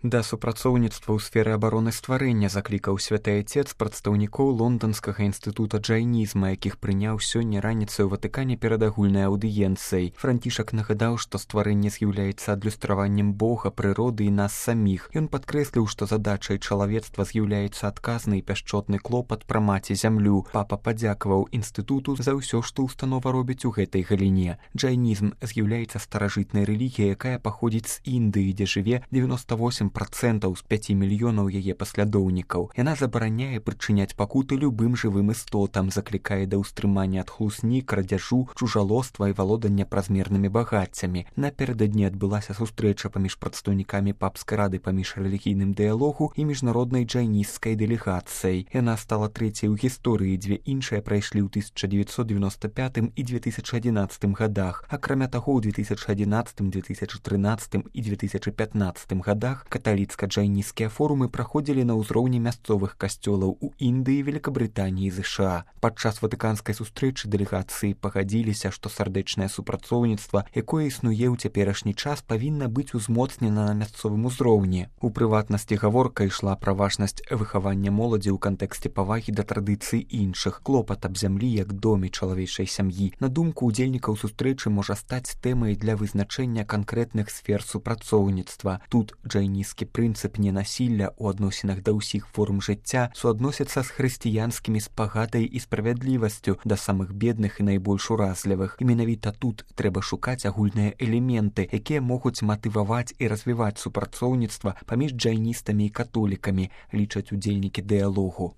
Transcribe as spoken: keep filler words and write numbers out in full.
Да супрацоўніцтва ў сферы абароны стварэння заклікаў святы айцец прадстаўнікоў лонданскага інстытута джайнізма, якіх прыняў сёння раніцай у Ватыкане перад агульнай аўдыенцыяй. Францішак нагадаў, што стварэнне з'яўляецца адлюстраваннем Бога, прыроды і нас саміх. Ён падкрэсліў, што задачай чалавецтва з'яўляецца адказны і пяшчотны клопат пра маці зямлю. Папа падзякаваў інстытуту за ўсё, што ўстанова робіць у гэтай галіне. Джайнізм з'яўляецца старажытнай рэлігіяй, якая паходзіць з Індыі, дзе жыве дзевяноста восем процентаў з пяці мільёнаў яе паслядоўнікаў. Яна забараняе прычыняць пакуты любым жывым істотам, заклікае да ўстрымання ад хлусні, крадзяжу, чужалоства і валодання празмернымі багаццямі. Напярэдадні адбылася сустрэча паміж прадстаўнікамі папскай рады па міжрэлігійным дыялогу і міжнароднай джайнісцкай дэлегацыяй. Яна стала трэцяй у гісторыі, дзве іншыя прайшлі ў тысяча дзевяцьсот девяносто пятым і две тысячи адзінаццатым годах. Акрамя таго, ў две тысячи адзінаццатым, две тысячи трынаццатым і две тысячи пятнаццатым годах каталіцка-джайнісцкія форумы праходзілі на ўзроўні мясцовых касцёлаў у Індыі, Великабрытаніі і ЗША. Падчас ватыканскай сустрэчы дэлегацыі пагадзіліся, што сардэчнае супрацоўніцтва, якое існуе ў цяперашні час, павінна быць узмоцнена на мясцовым узроўні. У прыватнасці гаворка ішла пра важнасць выхавання моладзі ў кантэксце павагі да традыцый іншых, клопат аб зямлі як доме чалавечай сям'і. На думку удзельнікаў сустрэчы можа стаць тэмай для вызначэння канкрэтных сфер супрацоўніцтва. Тут джайнісцкі прынцып ненасілля ў адносінах да ўсіх форм жыцця суадносіцца з хрысціянскімі спагадай і справядлівасцю да самых бедных і найбольш уразлівых. І менавіта тут трэба шукаць агульныя элементы, якія могуць матываваць і развіваць супрацоўніцтва паміж джайністамі і католікамі, лічаць удзельнікі дыялогу.